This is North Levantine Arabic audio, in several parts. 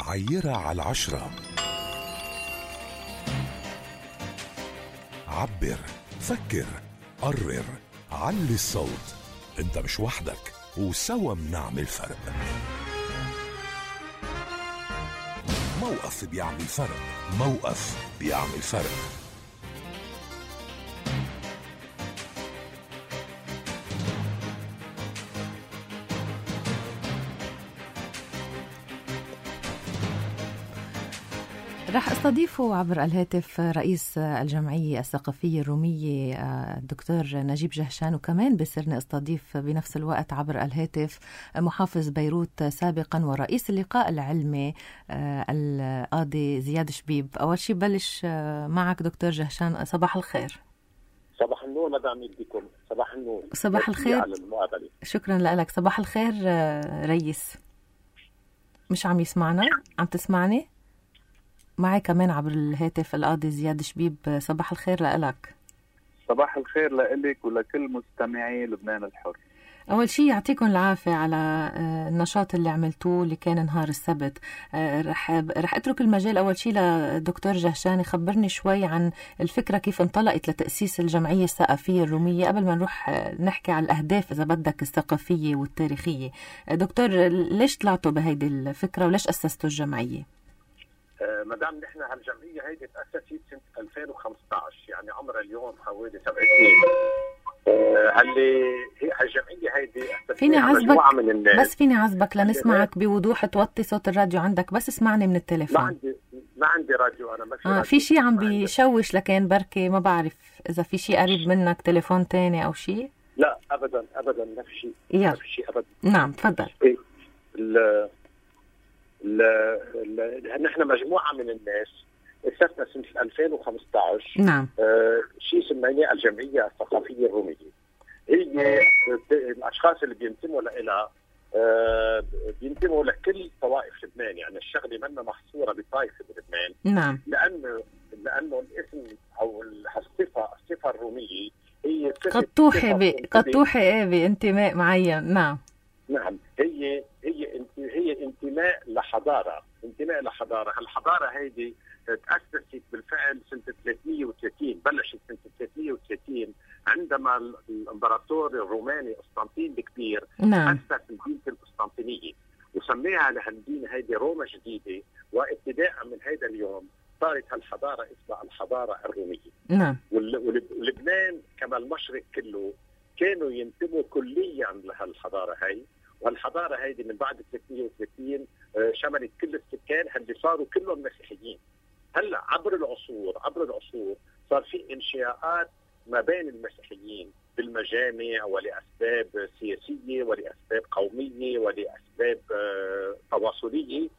عيرها على 10. عبر، فكر، قرر، علي الصوت. انت مش وحدك، وسوا منعمل فرق. موقف بيعمل فرق. موقف بيعمل فرق. رح استضيف عبر الهاتف رئيس الجمعية الثقافية الرومية الدكتور نجيب جهشان، وكمان بصيرني استضيف بنفس الوقت عبر الهاتف محافظ بيروت سابقا ورئيس اللقاء العلمي القاضي زياد شبيب. أول شيء بلش معك دكتور جهشان، صباح الخير. صباح النور مدام بكم. صباح النور. صباح الخير. شكرا لك. صباح الخير رئيس. مش عم يسمعنا؟ عم تسمعني؟ معي كمان عبر الهاتف القاضي زياد شبيب. صباح الخير لك. صباح الخير لك ولكل مستمعي لبنان الحر. أول شيء يعطيكم العافية على النشاط اللي عملتوه اللي كان نهار السبت. رح أترك المجال أول شيء لدكتور جهشان يخبرني شوي عن الفكرة كيف انطلقت لتأسيس الجمعية الثقافية الرومية قبل ما نروح نحكي على الأهداف إذا بدك الثقافية والتاريخية. دكتور، ليش طلعتوا بهيدي الفكرة وليش أسستوا الجمعية؟ مدام نحن هالجمعية هيدي تأسست سنة 2015، يعني عمرها اليوم حوالي 7 سنين. اللي هي هالجمعية هيدي فيني عزبك من الناس. بس فيني عزبك لنسمعك بوضوح، توطي صوت الراديو عندك بس اسمعني من التليفون. ما عندي راديو أنا. ما في شيء عم بيشوش لكن بركي ما بعرف إذا في شيء قريب منك تليفون تاني أو شيء. لا أبدا ما في شيء. ما في شيء أبدا. نعم تفضل. نحن مجموعة من الناس أسسنا سنة 2015. نعم. شيء سميناه الجمعية الثقافية الرومية. هي الأشخاص اللي بينتموا لها بينتموا لكل طوائف لبنان، يعني الشغلة منا محصورة بطائفة بلبنان. نعم. لأنه الاسم أو الصفة الرومية هي قد توحي بانتماء معين. نعم. نعم. هي انتماء لحضارة. الحضارة هيدي تأسست بالفعل سنة 330. بلشت سنة 330 عندما الامبراطور الروماني قسطنطين الكبير أسس المدينة القسطنطينية وسميها لهالمدينة هيدي روما جديدة. وابتداء من هيدا اليوم صارت هالحضارة اسمها الحضارة الرومية. نعم. ولبنان كما المشرق كله كانوا ينتموا كليا لهالحضارة هاي. والحضارة هيدي من بعد 330 شملت كل السكان اللي صاروا كلهم مسيحيين. هلا عبر العصور صار في انشاءات ما بين المسيحيين بالمجامع ولأسباب سياسية ولأسباب قومية ولأسباب تواصلية،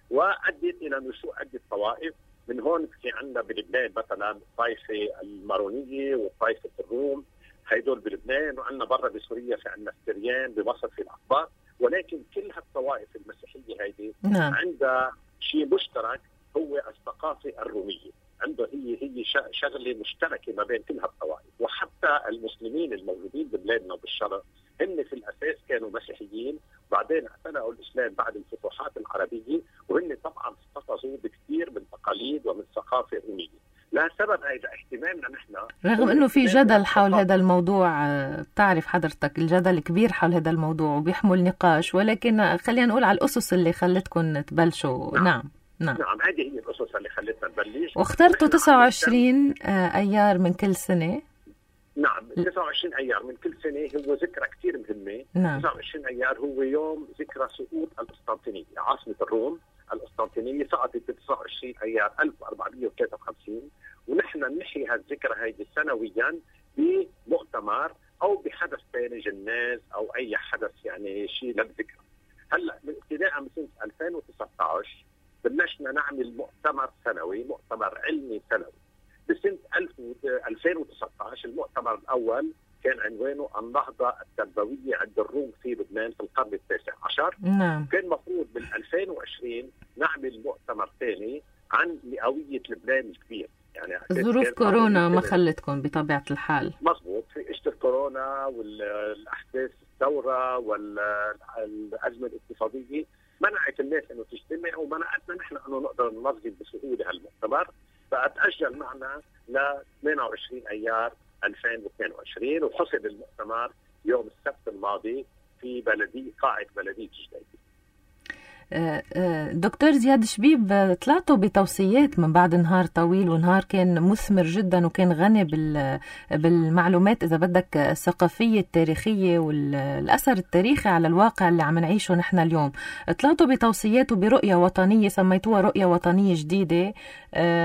وأدت إلى نشوء عدة طوائف. من هون في عندنا بلبنان مثلا الطائفة المارونية وطائفة الروم، هيدول بلبنان، وعندنا برا بسوريا في عندنا السريان، بمصر في الأقباط. ولكن كل هالطوائف المسيحية هيدي عندها شيء مشترك، هو الثقافة الرومية. عنده هي شغلة مشتركة ما بين كل هالطوائف. وحتى المسلمين الموجودين ببلادنا وبالشرق هن في الأساس كانوا مسيحيين، بعدين اعتنقوا الإسلام بعد الفتوحات العربية، وهن طبعا احتفظوا بكثير من تقاليد ومن ثقافة رومية. لا سبب هذا اهتمامنا نحن، رغم انه في جدل حول هذا الموضوع. بتعرف حضرتك الجدل كبير حول هذا الموضوع وبيحمل نقاش، ولكن خلينا نقول على الأسس اللي خلتكم تبلشوا. نعم. هذه هي الأسس اللي خلتنا نبلش. واخترتوا 29 أيار من كل سنة. نعم. 29 أيار من كل سنة هو ذكرى كثير مهمة. نعم. 29 أيار هو يوم ذكرى سقوط القسطنطينية، عاصمة الروم. القسطنطينية سقطت ب 29 أيار 1453. ونحن نحيي هالذكرى هيدي سنويا بمؤتمر أو بحدث ثاني، جناز أو أي حدث يعني شيء للذكرى. هلا من ابتداء من سنة 2019 بلشنا نعمل مؤتمر سنوي، مؤتمر علمي سنوي. بسنة 2019 المؤتمر الأول كان عنوانه النهضة التربوية عند الروم في لبنان في القرن التاسع عشر. نعم. كان مفروض بال 2020 نعمل مؤتمر ثاني عن مئوية لبنان الكبير. يعني ظروف كورونا ما خلتكم بطبيعة الحال. مظبوط، في إشتر كورونا والأحداث الثورة والأزمة الاقتصادية منعت الناس انه تجتمع ومنعتنا نحن انه نقدر ننظم بسهوله هالمؤتمر، فاتاجل معنا ل 28 ايار 2022 وحصل المؤتمر يوم السبت الماضي في قاعه بلديه جديده. دكتور زياد شبيب، طلعتوا بتوصيات من بعد نهار طويل، ونهار كان مثمر جدا وكان غني بالمعلومات إذا بدك الثقافية التاريخية والأثر التاريخي على الواقع اللي عم نعيشه نحن اليوم. طلعتوا بتوصيات وبرؤية وطنية سميتوها رؤية وطنية جديدة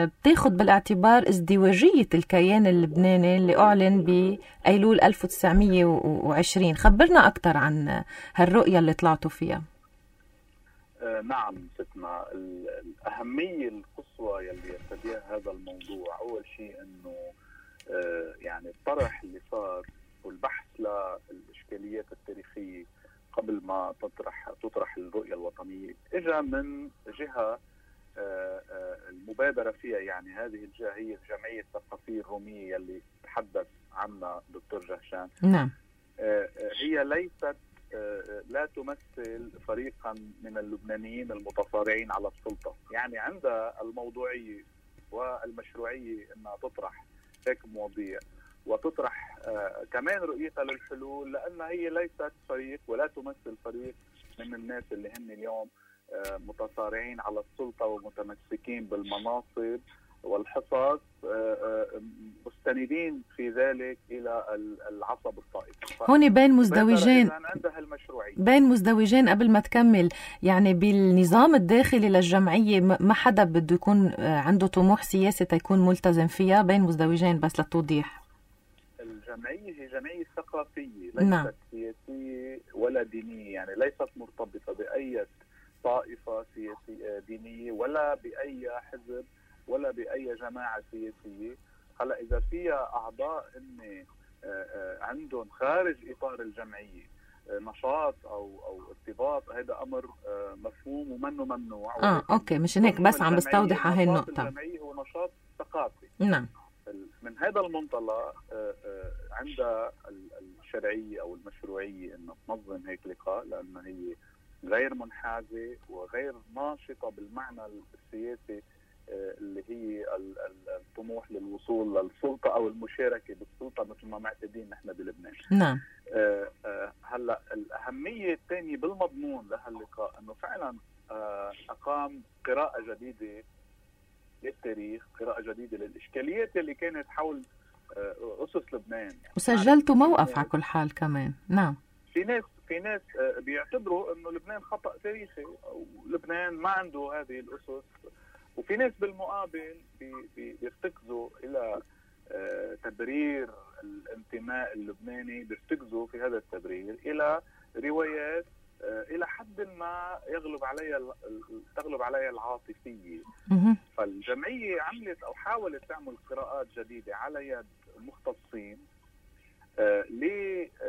بتاخد بالاعتبار ازدواجية الكيان اللبناني اللي أعلن بأيلول 1920. خبرنا أكتر عن هالرؤية اللي طلعتوا فيها. نعم ستنا، الأهمية القصوى يلي يرتديها هذا الموضوع أول شيء أنه يعني الطرح اللي صار والبحث للإشكاليات التاريخية قبل ما تطرح الرؤية الوطنية اجى من جهة المبادرة فيها، يعني هذه الجهة هي الجمعية الثقافية الرومية يلي تحدث عنها دكتور جهشان. نعم. هي ليست لا تمثل فريقا من اللبنانيين المتصارعين على السلطة، يعني عندها الموضوعية والمشروعية أنها تطرح هيك مواضيع وتطرح كمان رؤيتها للحلول، لأنها هي ليست فريق ولا تمثل فريق من الناس اللي هن اليوم متصارعين على السلطة ومتمسكين بالمناصب والحصص مستندين في ذلك إلى العصب الطائفي. هون بين مزدوجين قبل ما تكمل، يعني بالنظام الداخلي للجمعية ما حدا بده يكون عنده طموح سياسي تيكون ملتزم فيها، بين مزدوجين بس للتوضيح. الجمعية هي جمعية ثقافية ليست سياسية ولا دينية، يعني ليست مرتبطة بأي طائفة سياسية دينية ولا بأي حزب ولا بأي جماعة سياسية. هلا إذا فيها أعضاء إن عندهم خارج إطار الجمعية نشاط أو ارتباط، هذا أمر مفهوم ومنه ممنوع. أوكي، مش هيك بس عم بستوضح هاي النقطة. الجمعية هو نشاط ثقافي. نعم. من هذا المنطلق عندها الشرعية أو المشروعية إنه تنظم هيك لقاء، لأنها هي غير منحازة وغير ناشطة بالمعنى السياسي اللي هي الطموح للوصول للسلطة أو المشاركة بالسلطة مثل ما معتادين نحن بلبنان. نعم. هلا الأهمية الثانية بالمضمون لهاللقاء أنه فعلا أقام قراءة جديدة للتاريخ، قراءة جديدة للإشكاليات اللي كانت حول أسس لبنان، يعني وسجلتوا موقف على كل حال كمان. نعم. في ناس بيعتبروا انه لبنان خطأ تاريخي او لبنان ما عنده هذه الاسس، وفي ناس بالمقابل بيرتكزوا الى تبرير الانتماء اللبناني، بيرتكزوا في هذا التبرير الى روايات الى حد ما تغلب عليها العاطفيه. فالجمعيه عملت او حاولت تعمل قراءات جديده على يد المختصين لإنهاء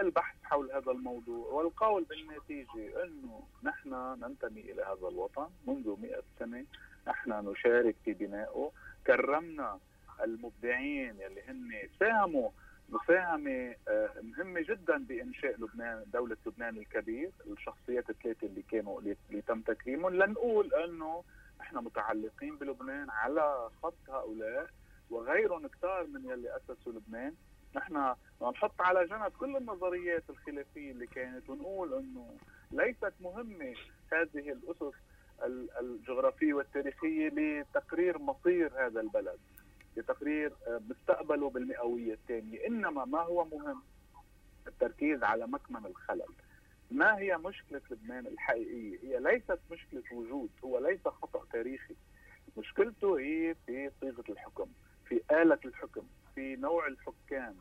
البحث حول هذا الموضوع والقول بالنتيجة أنه نحن ننتمي إلى هذا الوطن منذ 100 سنة، نحن نشارك في بنائه، كرمنا المبدعين اللي هن ساهموا مساهمة مهمة جدا بإنشاء لبنان، دولة لبنان الكبير، الشخصيات الثلاثة اللي تم تكريمهم. لنقول أنه نحن متعلقين بلبنان على خط هؤلاء وغيرهم كتار من يلي أسسوا لبنان. نحن نحط على جنب كل النظريات الخلافية اللي كانت ونقول أنه ليست مهمة هذه الأسس الجغرافية والتاريخية لتقرير مصير هذا البلد، لتقرير مستقبله بالمئوية الثانية، إنما ما هو مهم التركيز على مكمن الخلل. ما هي مشكلة لبنان الحقيقية؟ هي ليست مشكلة وجود، هو ليس خطأ تاريخي، مشكلته هي في صيغة الحكم، في آلة الحكم، في نوع الحكام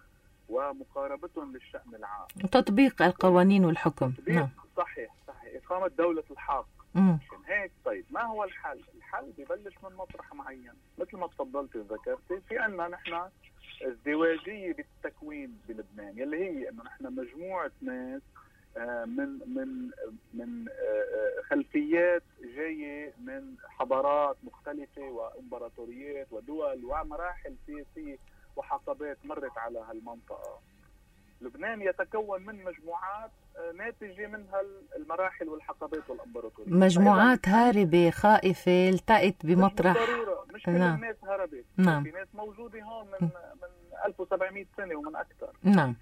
ومقاربتهم للشأن العام وتطبيق القوانين والحكم. نعم. صحيح. إقامة دولة الحق. عشان هيك طيب ما هو الحل؟ الحل بيبلش من مطرح معين، مثل ما تفضلت وذكرتي، في عنا نحن ازدواجية بالتكوين بلبنان، يلي هي انه نحن مجموعة ناس من خلفيات جاية من حضارات مختلفة وامبراطوريات ودول ومراحل سياسية وحقبات مرت على هالمنطقة. لبنان يتكون من مجموعات ناتجة منها المراحل والحقبات والامبراطورية، مجموعات هاربة خائفة التقت بمطرح. مش ضرورة، مش كل نعم. الناس هربت. نعم. في ناس موجودة هون من 1700 سنة ومن أكثر. نعم.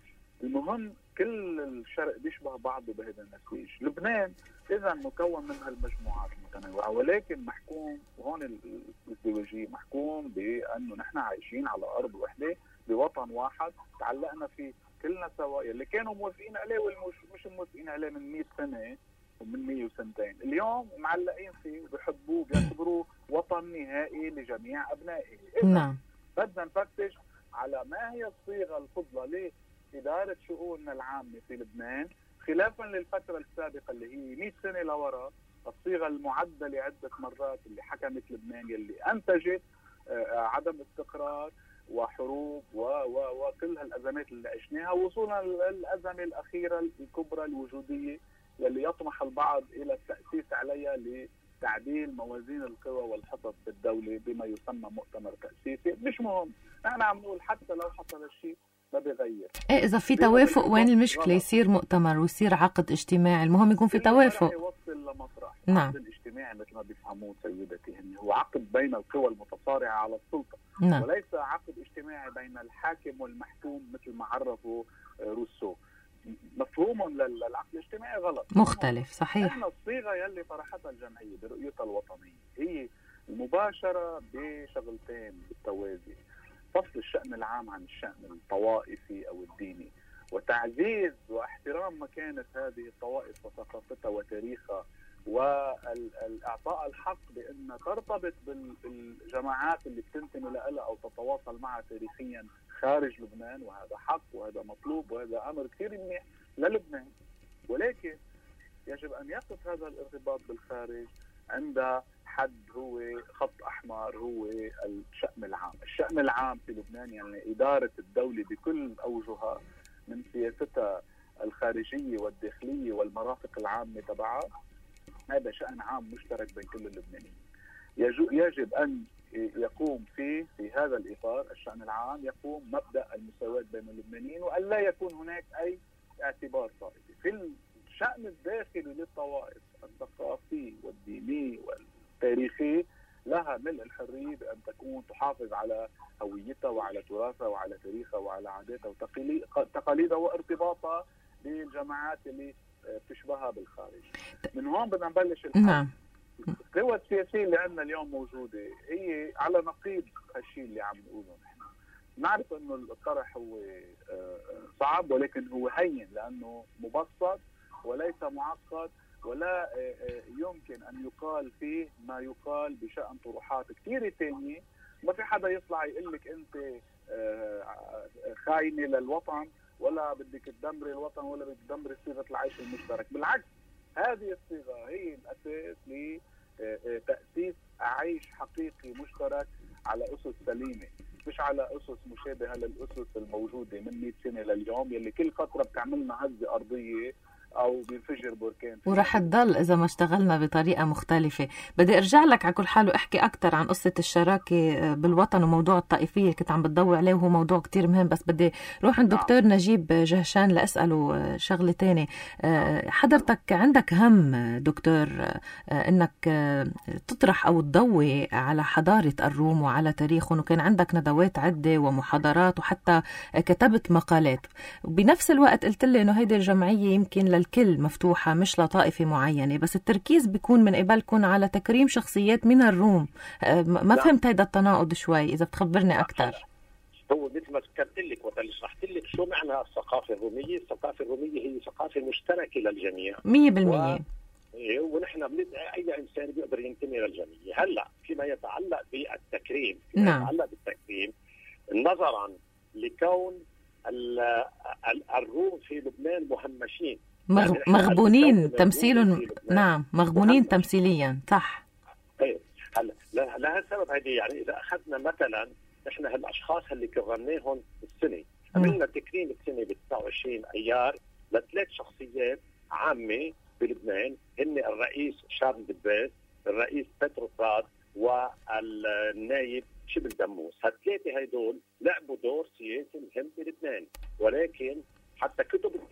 المهم كل الشرق بيشبه بعضه بهذا النسيج. لبنان إذا مكون من هالمجموعات المتنوعة، ولكن محكوم، وهون الازدواجية، محكوم بأنه نحن عايشين على أرض وحدة بوطن واحد تعلقنا فيه كلنا سوا، اللي كانوا موافقين عليه والمش موافقين عليه من 100 سنة ومن 100 وسنتين، اليوم معلقين فيه وبيحبوه، بيعتبروه وطن نهائي لجميع أبنائه. نعم. بدنا نفتش على ما هي الصيغة الفضلى لإدارة شؤوننا العامة في لبنان، خلافا للفترة السابقة اللي هي 100 سنة لورا، الصيغة المعدلة عدة مرات اللي حكمت لبنان، يلي أنتجت عدم استقرار وحروب وكل هالأزمات اللي عشناها، وصولا للأزمة الأخيرة الكبرى الوجودية يلي يطمح البعض إلى التأسيس عليها لتعديل موازين القوى والحصص بالدولة بما يسمى مؤتمر تأسيسي. مش مهم، نحن عم نقول حتى لو حصل الشيء ما بيغير. ايه اذا في توافق وين المشكلة؟ يصير مؤتمر ويصير عقد اجتماعي، المهم يكون في توافق. يوصل لمطرح. نعم. العقد الاجتماعي مثل ما بيفهموه سيدتي هو عقد بين القوى المتصارعة على السلطة. نعم. وليس عقد اجتماعي بين الحاكم والمحكوم مثل ما عرفه روسو. مفهوم للعقد الاجتماعي غلط، مختلف. صحيح. احنا الصيغة يلي طرحتها الجمعية برؤيتها الوطنية هي المباشرة بشغلتين بالتوازي: فصل الشأن العام عن الشأن الطوائفي أو الديني، وتعزيز واحترام مكانة هذه الطوائف وثقافتها وتاريخها، والإعطاء الحق بأن ترتبط بالجماعات اللي بتنتمي لها أو تتواصل معها تاريخيا خارج لبنان، وهذا حق وهذا مطلوب وهذا أمر كثير منيح للبنان. ولكن يجب أن يقف هذا الارتباط بالخارج عند حد هو خط أحمر، هو الشأن العام. الشأن العام في لبنان يعني إدارة الدولة بكل أوجهها، من سياستها الخارجية والداخلية والمرافق العامة تبعها. هذا شأن عام مشترك بين كل اللبنانيين، يجب أن يقوم في هذا الإطار الشأن العام، يقوم مبدأ المساواة بين اللبنانيين، وأن لا يكون هناك أي اعتبار طائفي. في الشأن الداخلي للطوائف الثقافي والديني والتاريخي لها ملء الحرية بأن تكون تحافظ على هويتها وعلى تراثها وعلى تاريخها وعلى عاداتها وتقاليدها وارتباطها بالجماعات اللي بتشبهها بالخارج. من هون بدنا نبلش الحل. نعم. القوى السياسية اللي عندنا اليوم موجودة هي على نقيض هالشيء اللي عم نقوله نحن. نعرف انه الطرح هو صعب، ولكن هو هين لانه مبسط وليس معقد، ولا يمكن ان يقال فيه ما يقال بشأن طروحات كثيرة ثانية. ما في حدا يطلع يقول لك انت خاينة للوطن، ولا بدك تدمري الوطن، ولا بدك تدمري صيغة العيش المشترك. بالعكس، هذه الصيغة هي الأساس لتأسيس عيش حقيقي مشترك على أسس سليمة، مش على أسس مشابهة للأسس الموجودة من 100 سنة لليوم، يلي كل فترة بتعملنا هزة أرضية أو بينفجر بركان، ورح تضل إذا ما اشتغلنا بطريقة مختلفة. بدي أرجع لك على كل حال وأحكي أكتر عن قصة الشراكة بالوطن وموضوع الطائفية اللي كنت عم بتضوي عليه، وهو موضوع كتير مهم. بس بدي روح عند دكتور نجيب جهشان لأسأله شغلة تانية. حضرتك عندك هم دكتور إنك تطرح أو تضوي على حضارة الروم وعلى تاريخهم، وكان عندك ندوات عدة ومحاضرات وحتى كتبت مقالات. وبنفس الوقت قلت لي إنه هيدي الجمعية يمكن للكل مفتوحة مش لطائفة معينة، بس التركيز بيكون من قبلكم على تكريم شخصيات من الروم. ما فهمت هيدا التناقض شوي، إذا بتخبرني أكتر. هو مثل ما ذكرت لك وشرحت لك شو معنى الثقافة الرومية. الثقافة الرومية هي ثقافة مشتركة للجميع 100%. ونحن بندعي أي إنسان بيقدر ينتمي للجميع. هلا فيما يتعلق بالتكريم، نظرا لكون الروم في لبنان مهمشين، مغبونين تمثيل. نعم، مغبونين تمثيليا. صح. طيب هلا لها السبب هذه. يعني اذا اخذنا مثلا نحن هالاشخاص اللي كرمناهم السنه، عملنا تكريم السنه ب 29 ايار لثلاث شخصيات عامه بلبنان، هن الرئيس شارل دباس، الرئيس بتروفراد، والنايب شبل دموس. هالثلاثه هدول لعبوا دور سياسي مهم بلبنان، ولكن حتى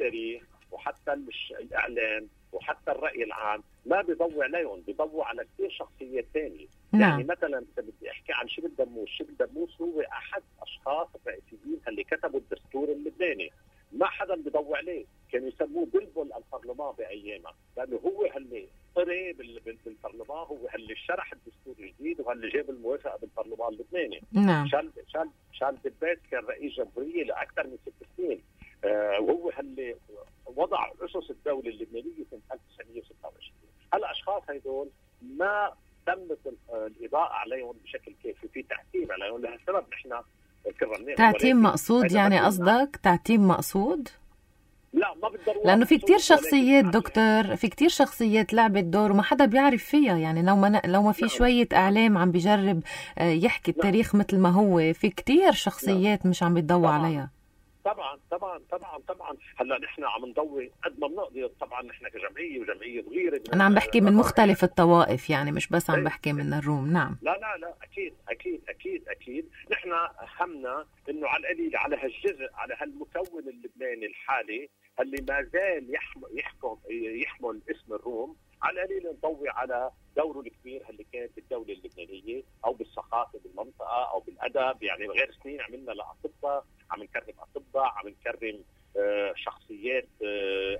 التاريخ وحتى الإعلام وحتى الرأي العام ما بيضوي عليهم، بيضوي على كثير شخصيات ثانية. يعني مثلا إذا بدي أحكي عن شبل دموس، شبل دموس هو أحد أشخاص الرئيسيين اللي كتبوا الدستور اللبناني، ما حدا بيضوي عليه، كانوا يسموه بلبل البرلمان بأيامها، لأنه هو اللي قري بالبرلمان، هو اللي شرح الدستور الجديد وهاللي جاب الموافقة بالبرلمان اللبناني. نعم. شال دباس كان رئيس جمهورية لأكثر من 6 سنين، وهو اللي وضع أسس الدولة اللبنانية سنة 1926. هالأشخاص هيدول ما تمت الإضاءة عليهم بشكل كافي، في تعتيم عليهم، لهالسبب نحن كرمناهم. تعتيم مقصود يعني قصدك تعتيم مقصود؟ لا ما بالضرورة، لأنه في كتير شخصيات دكتور، في كتير شخصيات لعبت دور وما حدا بيعرف فيها. يعني لو ما في شوية إعلام عم بيجرب يحكي التاريخ مثل ما هو، في كتير شخصيات مش عم بيتضوى عليها. طبعا طبعا طبعا طبعا. هلا نحن عم نضوي قد ما بنقدر، طبعا نحن كجمعيه وجمعيه صغيره. انا عم بحكي من مختلف الطوائف، يعني مش بس عم بحكي من الروم. نعم. لا اكيد اكيد اكيد اكيد. نحن همنا انه على القليل على هالجزء، على هالمكون اللبناني الحالي اللي ما زال يحمل اسم الروم، على القليل نضوي على دوره الكبير اللي كان بالدوله اللبنانيه او بالثقافه بالمنطقه او بالادب. يعني غير سنين عملنا لاطباء، عم نكرم اطباء، عم نكرم شخصيات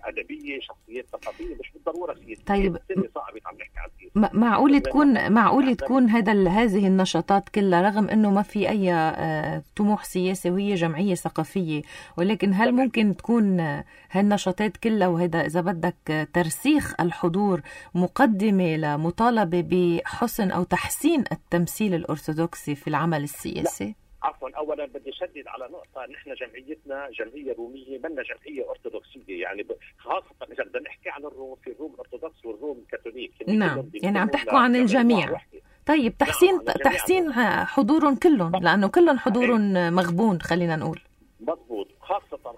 ادبيه، شخصيات ثقافيه، مش بالضروره سياسيه. طيب صعب عم نحكي عن سياسه. معقول تكون هذه النشاطات كلها، رغم انه ما في اي طموح سياسي وهي جمعيه ثقافيه، ولكن هل ممكن تكون هالنشاطات كلها وهذا اذا بدك ترسيخ الحضور مقدمه لمطالبه بحسن او تحسين التمثيل الارثوذكسي في العمل السياسي؟ لا. عفوا، اولا بدي اشدد على نقطه، نحن جمعيتنا جمعيه روميه، منا جمعيه ارثوذكسيه. يعني خاصه اذا بدنا نحكي عن الروم، في الروم الارثوذكس والروم الكاثوليك. نعم، يعني عم تحكوا عن الجميع. طيب تحسين حضورهم كلهم، لانه كلهم حضورهم مغبون، خلينا نقول. مضبوط.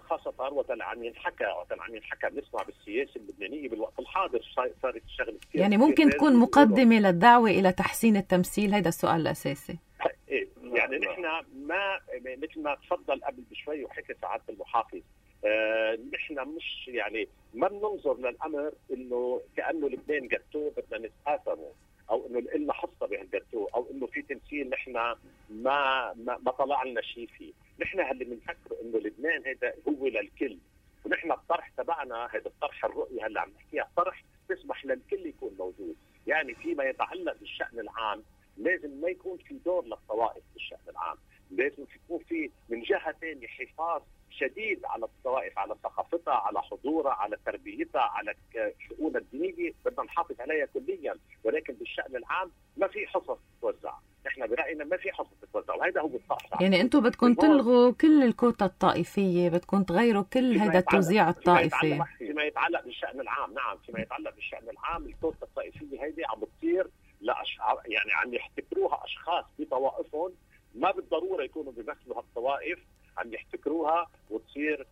خاصه وقت عم ينحكى بنسمع بالسياسه اللبنانيه بالوقت الحاضر صارت الشغله كثير. يعني ممكن تكون مقدمه للدعوه الى تحسين التمثيل، هذا السؤال الاساسي. يعني نحن ما مثل ما تفضل قبل بشوي وحكي سعادة المحافظ، نحن مش يعني ما بننظر للأمر إنه كأنه لبنان جاتوه بدنا نتقاسمه، أو إنه لنا حصة بهالجاتوه، أو إنه في تمثيل نحن ما طلعنا شيء فيه. نحن اللي بنفكر إنه لبنان هذا هو للكل، ونحن الطرح تبعنا هذا الطرح الرؤية اللي عم نحكيها طرح تسمح للكل يكون موجود. يعني فيما يتعلق بالشأن العام لازم ما يكون في دور للطوائف بالشأن العام، لازم يكون في من جهة ثانية حفاظ شديد على الطوائف، على ثقافتها، على حضورها، على تربيتها، على شؤونها الدينية، بدنا نحافظ عليها كليا. ولكن بالشأن العام ما في حصص تتوزع، نحن برأينا ما في حصص تتوزع، وهذا هو الصح. يعني انتم بدكم تلغوا كل الكوتا الطائفية، بدكم تغيروا كل هذا التوزيع الطائفي فيما يتعلق بالشأن العام. نعم، فيما يتعلق بالشأن العام الكوتا الطائفية هذه عم بتصير يعني عم يحتكروها أشخاص بطوائفهم، ما بالضرورة يكونوا بيمثلوا هالطوائف، عم يحتكروها وتصير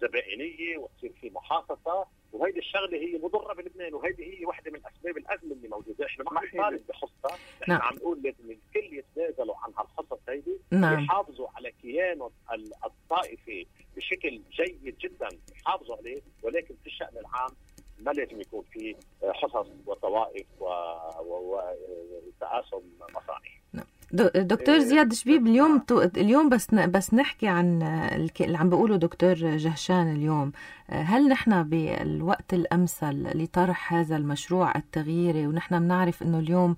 زبائنية وتصير في محاصصة. وهيدي الشغلة هي مضرة بلبنان، وهيدي هي واحدة من أسباب الأزمة اللي موجودة. إحنا ما نطالب بحصة، إحنا عم نقول لازم الكل يتنازلوا عن هالحصص هيدي، يحافظوا على كيانهم الطائفي بشكل جيد جدا، يحافظوا عليه. ولكن في الشأن العام ما لازم يكون في حصص وطوائف وتقاسم مصالح. دكتور زياد شبيب، اليوم بس نحكي عن اللي عم بيقوله دكتور جهشان اليوم. هل نحن بالوقت الأمثل لطرح هذا المشروع التغييري؟ ونحن بنعرف إنه اليوم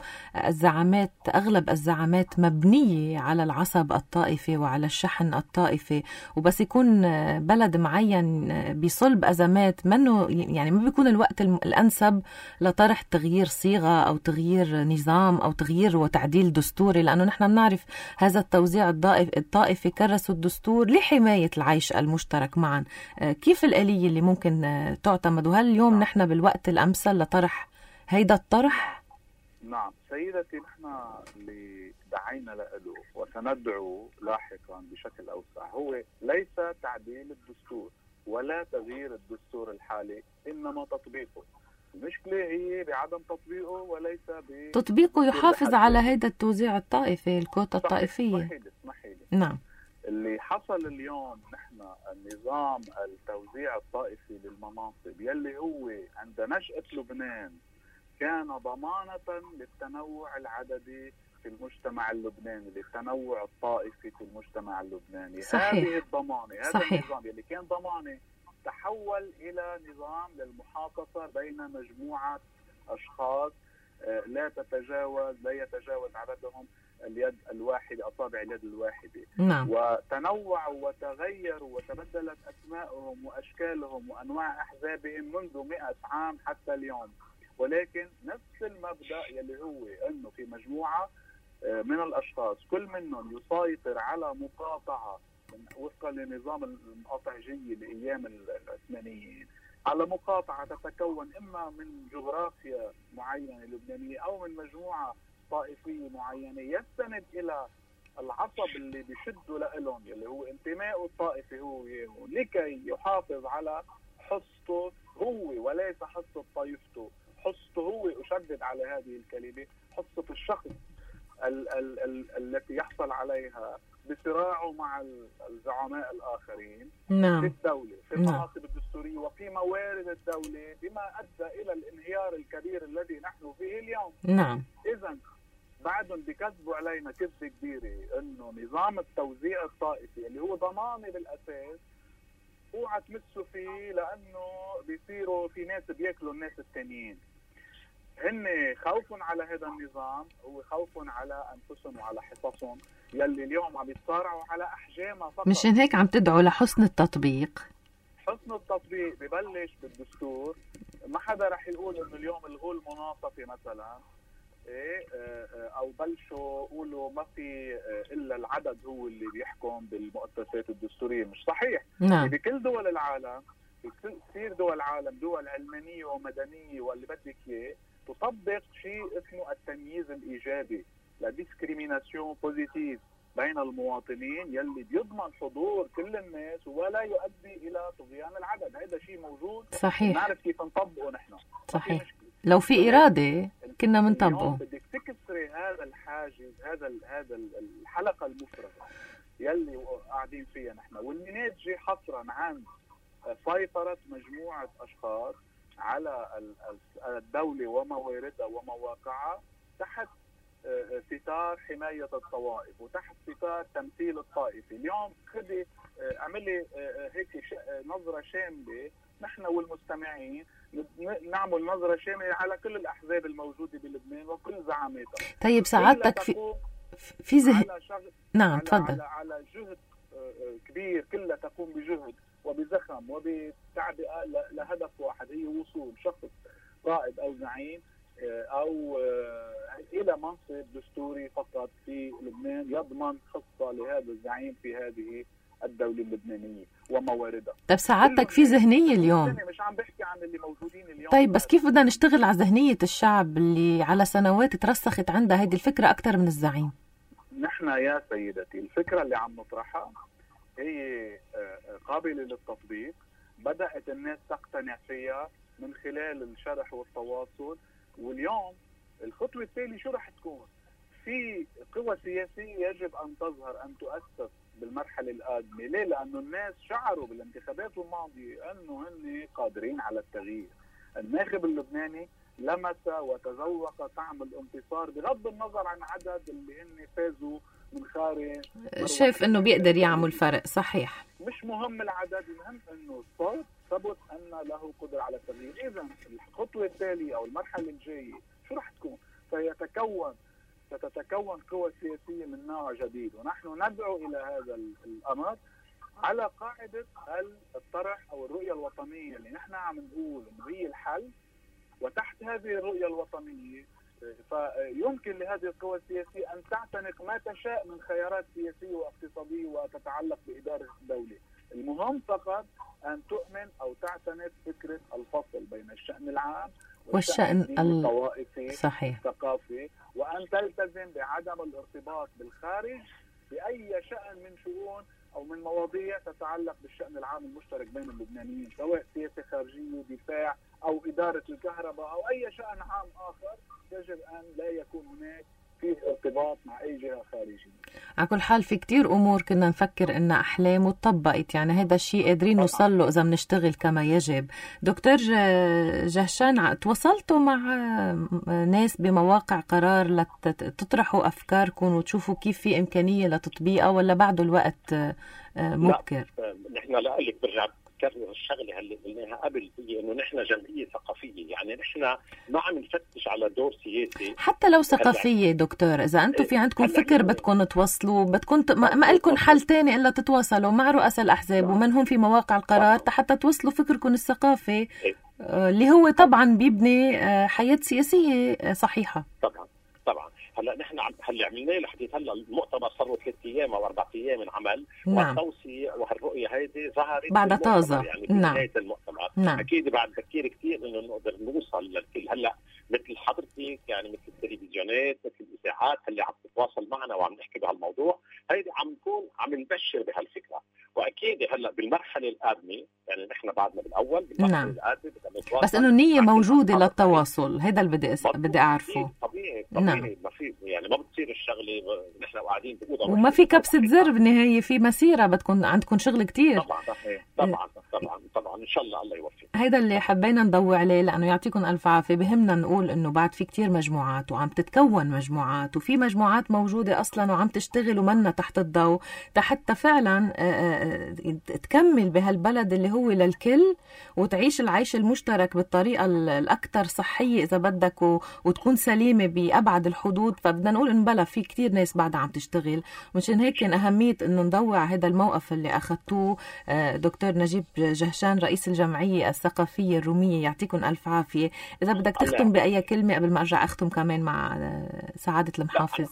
أغلب الزعامات مبنية على العصب الطائفي وعلى الشحن الطائفي، وبس يكون بلد معين بصلب أزمات منه، يعني ما بيكون الوقت الأنسب لطرح تغيير صيغة أو تغيير نظام أو تغيير وتعديل دستوري، لأنه نحن بنعرف هذا التوزيع الطائفي كرسوا الدستور لحماية العيش المشترك معا. كيف الآلية اللي ممكن تعتمد؟ وهل اليوم نحن بالوقت الأمثل لطرح هيدا الطرح؟ نعم سيدتي، نحن اللي دعينا له وسندعو لاحقا بشكل أوسع هو ليس تعديل الدستور ولا تغيير الدستور الحالي، إنما تطبيقه. المشكلة هي بعدم تطبيقه وليس تطبيقه يحافظ على هيدا التوزيع الطائفي، الكوتا الطائفية. اسمحي لي. نعم. اللي حصل اليوم نحن النظام التوزيع الطائفي للمناصب يلي هو عند نشأة لبنان كان ضمانة للتنوع العددي في المجتمع اللبناني، للتنوع الطائفي في المجتمع اللبناني. صحيح. هذه الضمانة، هذا صحيح. النظام يلي كان ضمانة تحول إلى نظام للمحافظة بين مجموعة أشخاص لا يتجاوز عددهم اليد الواحدة، أصابع اليد الواحدة. نعم. وتنوعوا وتغيروا وتبدلت أسمائهم وأشكالهم وأنواع أحزابهم منذ 100 عام حتى اليوم، ولكن نفس المبدأ يلي هو أنه في مجموعة من الأشخاص كل منهم يسيطر على مقاطعة وفقا لنظام المقاطعجية لأيام العثمانيين، على مقاطعة تتكون إما من جغرافيا معينة لبنانية أو من مجموعة طائفية معينة يستند إلى العصب اللي بيشدوا لهم اللي هو انتمائه الطائفي هو لكي يحافظ على حصته هو وليس حصة طائفته، حصته هو، أشدد على هذه الكلمة، حصة الشخص التي يحصل عليها بصراعه مع الزعماء الآخرين. نعم. في الدولة، في المناصب الدستورية وفي موارد الدولة، بما أدى إلى الانهيار الكبير الذي نحن فيه اليوم. نعم. إذن بعدهم بكذبوا علينا كذبة كبيرة إنه نظام التوزيع الطائفي اللي هو ضماني بالأساس اوعى تمسوا فيه لأنه بيصيروا في ناس بياكلوا الناس التانيين. هن خوف على هذا النظام هو خوف على أنفسهم وعلى حصصهم يلي اليوم عم يتصارعوا على أحجامها فقط. مشان هيك عم تدعوا لحسن التطبيق. حسن التطبيق ببلش بالدستور. ما حدا رح يقول إنه اليوم الغوا المناصفة مثلا، او بلشوا قولوا ما في الا العدد هو اللي بيحكم بالمؤسسات الدستوريه. مش صحيح. نعم. بكل دول العالم، كثير دول العالم، دول علمانيه ومدنيه واللي بدك اياه، تطبق شيء اسمه التمييز الايجابي، لا ديسكريميناسيون بوزيتيف بين المواطنين يلي بيضمن حضور كل الناس ولا يؤدي الى طغيان العدد. هذا شيء موجود. صحيح. نعرف كيف نطبقه نحن. صحيح. لو في إرادة كنا منطبقه. بدك تكسري هذا الحاجز، هذا الحلقة المفرغة يلي قاعدين فيها نحن، واللي ناتجة حصرا عن سيطرة مجموعة أشخاص على الدولة ومواردها ومواقعها تحت ستار حماية الطوائف وتحت ستار تمثيل الطائفي. اليوم خدي اعملي هيك نظرة شاملة نحن والمستمعين، نعمل نظرة شاملة على كل الأحزاب الموجودة بلبنان وكل زعاماتها. طيب سعادتك في نعم تفضل. على جهد كبير، كلها تقوم بجهد وبزخم وبتعبئة لهدف واحد، هي وصول شخص قائد أو زعيم أو إلى منصب دستوري فقط في لبنان يضمن خصة لهذا الزعيم في هذه الدولة اللبنانية ومواردها. طيب سعادتك في ذهنية اليوم، مش عم بحكي عن اللي موجودين اليوم. طيب بس كيف بدنا نشتغل على ذهنية الشعب اللي على سنوات ترسخت عندها هذه الفكرة أكثر من الزعيم؟ نحن يا سيدتي الفكرة اللي عم نطرحها هي قابلة للتطبيق، بدأت الناس تقتنع فيها من خلال الشرح والتواصل. واليوم الخطوة التالية شو رح تكون؟ في قوى سياسية يجب أن تظهر، أن تؤسس بالمرحلة القادمة. ليه؟ لأنه الناس شعروا بالانتخابات الماضية أنه هن قادرين على التغيير. الناخب اللبناني لمس وتذوق طعم الانتصار بغض النظر عن عدد اللي هن فازوا من خارج. شايف أنه بيقدر يعمل فرق. صحيح. مش مهم العدد، المهم أنه الصوت ثبت أن له قدرة على التغيير. إذن الخطوة التالية أو المرحلة الجاية شو رح تكون؟ ستتكون قوى سياسية من نوع جديد، ونحن ندعو إلى هذا الأمر على قاعدة الطرح أو الرؤية الوطنية اللي نحن عم نقول إنه هي الحل. وتحت هذه الرؤية الوطنية فيمكن لهذه القوى السياسية أن تعتنق ما تشاء من خيارات سياسية واقتصادية وتتعلق بإدارة الدولة. المهم فقط أن تؤمن أو تعتنق فكرة الفصل بين الشأن العام والشأن الطوائفي الثقافي، وأن تلتزم بعدم الارتباط بالخارج بأي شأن من شؤون أو من مواضيع تتعلق بالشأن العام المشترك بين اللبنانيين، سواء سياسة خارجية، دفاع، أو إدارة الكهرباء، أو أي شأن عام آخر. يجب أن لا يكون هناك فيه ارتباط مع أي جهة خارجية. على كل حال في كتير أمور كنا نفكر إنها أحلام وطبقت، يعني هذا الشيء قادرين نوصل له إذا بنشتغل كما يجب. دكتور جهشان، تواصلتوا مع ناس بمواقع قرار لتطرحوا أفكاركم وتشوفوا كيف في إمكانية لتطبيقها، ولا بعده الوقت مبكر؟ نحن لقلك برجع كرر الشغله اللي قلناها قبل، هي انه نحن جمعيه ثقافيه، يعني نحن ما عم نفتش على دور سياسي. حتى لو ثقافيه دكتور، اذا انتم في عندكم فكر بدكم توصلوا، بدكم ما لكم حل تاني الا تتواصلوا مع رؤساء الاحزاب ومن هم في مواقع القرار حتى توصلوا فكركم الثقافي اللي هو طبعا بيبني حياه سياسيه صحيحه. طبعا هلا نحن هلا عملناه لحديت هلا المؤتمر صار له 3 أيام أو 4 أيام من عمل. نعم. والتوصية وهالرؤية هيدي ظهرت بعد طازة يعني في نهاية المؤتمر. نعم. أكيد بعد بكير كتير إنه نقدر نوصل للكل. هلا مثل حضرتك يعني مثل التلفزيونات مثل الإذاعات اللي عم تتواصل معنا وعم نحكي بهالموضوع، هيدي عم نكون عم نبشر بهالفكرة. وأكيد هلا بالمرحلة القادمة يعني نحن بعدنا بالأول بالمرحلة نعم. القادمة بس إنه النية موجودة للتواصل، هذا اللي بدي أعرفه. طبيعي نعم. ما في يعني ما بتصير الشغله نحن قاعدين بأوضة وما في كبسة زر بالنهاية، في مسيرة بدكم عندكم شغل كتير. طبعا إن شاء الله الله يوفق. هيدا اللي حبينا نضوي عليه، لأنه يعطيكم ألف عافية. بهمنا نقول إنه بعد في كتير مجموعات وعم تتكون مجموعات، وفي مجموعات موجودة أصلا وعم تشتغل ومنا تحت الضوء حتى فعلا تكمل بهالبلد اللي هو للكل، وتعيش العيش المشترك بالطريقة الأكثر صحية إذا بدك، وتكون سليمة بأبعد الحدود. فبدنا نقول إن بلا في كتير ناس بعدها عم تشتغل، مشان هيك كان أهمية إنه نضوي على هذا الموقف اللي أخذتوه. دكتور نجيب جهشان رئيس الجمعية الثقافية الرومية، يعطيكم ألف عافية. إذا بدك تختم بأي كلمة قبل ما أرجع أختم كمان مع سعادة المحافظ.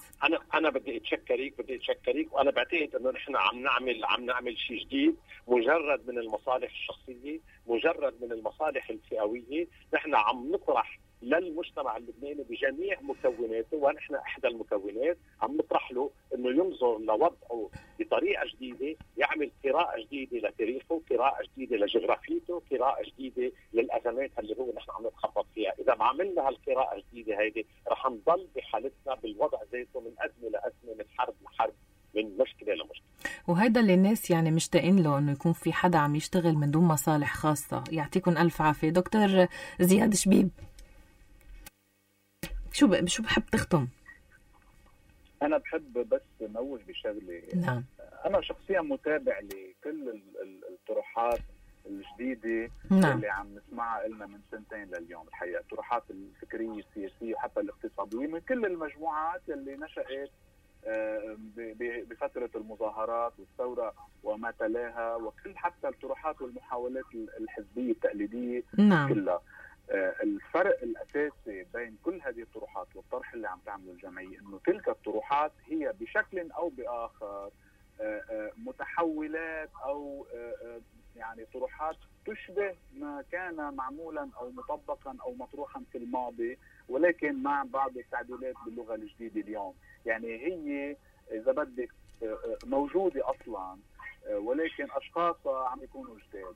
أنا بدي أتشكرك وأنا بعتقد إنه نحن عم نعمل شيء جديد، مجرد من المصالح الشخصية، مجرد من المصالح الفئوية. نحن عم نطرح للمجتمع اللبناني بجميع مكوناته، ونحن احدى المكونات، عم نطرح له انه ينظر لوضعه بطريقه جديده، يعمل قراءه جديده لتاريخه، قراءه جديده لجغرافيته، قراءه جديده للازمات اللي هو نحن عم نتخبط فيها. اذا ما عملنا هالقراءه الجديده هيدي رح نضل بحالتنا بالوضع ذاته، من ازمه لازمه، من حرب لحرب، من مشكله لمشكله. وهيدا اللي الناس يعني مشتاقين له، انه يكون في حدا عم يشتغل من دون مصالح خاصه. يعطيكم الف عافيه. دكتور زياد شبيب، شو بحب تختم؟ أنا بحب بس نوه بشغلة. نعم. أنا شخصيا متابع لكل الطروحات الجديدة. نعم. اللي عم نسمعها لنا من سنتين لليوم الحقيقة، الطروحات الفكرية السياسية وحتى الاقتصادية من كل المجموعات اللي نشأت بفترة المظاهرات والثورة وما تلاها، وكل حتى الطروحات والمحاولات الحزبية التقليدية. نعم. كلها. الفرق الأساسي بين كل هذه الطروحات والطرح اللي عم تعمله الجمعية إنه تلك الطروحات هي بشكل أو بآخر متحولات أو يعني طروحات تشبه ما كان معمولا أو مطبقا أو مطروحا في الماضي، ولكن مع بعض التعديلات باللغة الجديدة اليوم. يعني هي إذا بدك موجودة أصلا، ولكن أشخاصها عم يكونوا جداد.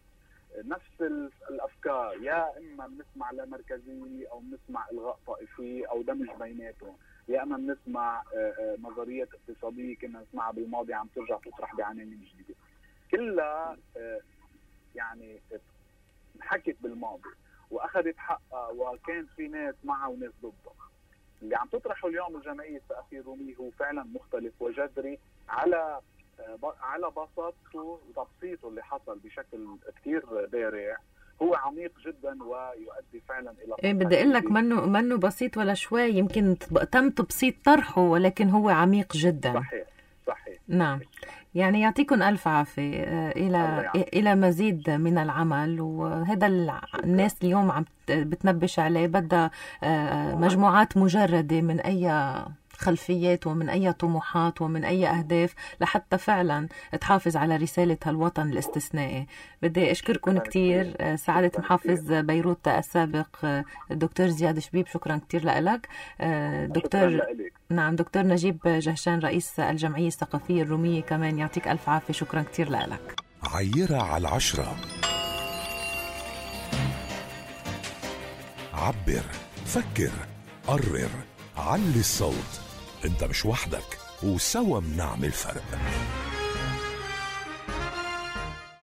نفس الأفكار، يا إما بنسمع لمركزية أو بنسمع إلغاء طائفي أو دمج بيناتهم، يا إما بنسمع نظريات اقتصادية كنا نسمعها بالماضي عم ترجع تطرح بعناوين جديدة. كلها يعني انحكت بالماضي وأخذت حقها، وكان في ناس معها وناس ضدها. اللي عم تطرحه اليوم الجمعية الثقافية الرومية هو فعلا مختلف وجذري على بساطته وتبسيطه اللي حصل بشكل كتير بارع. هو عميق جدا ويؤدي فعلا الى بدي اقول لك منه بسيط ولا شوي، يمكن تم تبسيط طرحه ولكن هو عميق جدا. صحيح. نعم. يعني يعطيكم ألف عافية إلى مزيد من العمل. وهذا الناس اليوم عم بتنبش عليه، بدها مجموعات مجردة من أي خلفيات ومن أي طموحات ومن أي أهداف لحتى فعلا تحافظ على رسالة هالوطن الاستثنائي. بدي أشكركم كتير. سعادة محافظ بيروت السابق الدكتور زياد شبيب، شكرا كتير لك. دكتور نجيب جهشان رئيس الجمعية الثقافية الرومية كمان، يعطيك ألف عافية، شكرا كتير لك. عيرة على 10. عبر، فكر، قرر، علي الصوت. انت مش وحدك، وسوا منعمل فرق.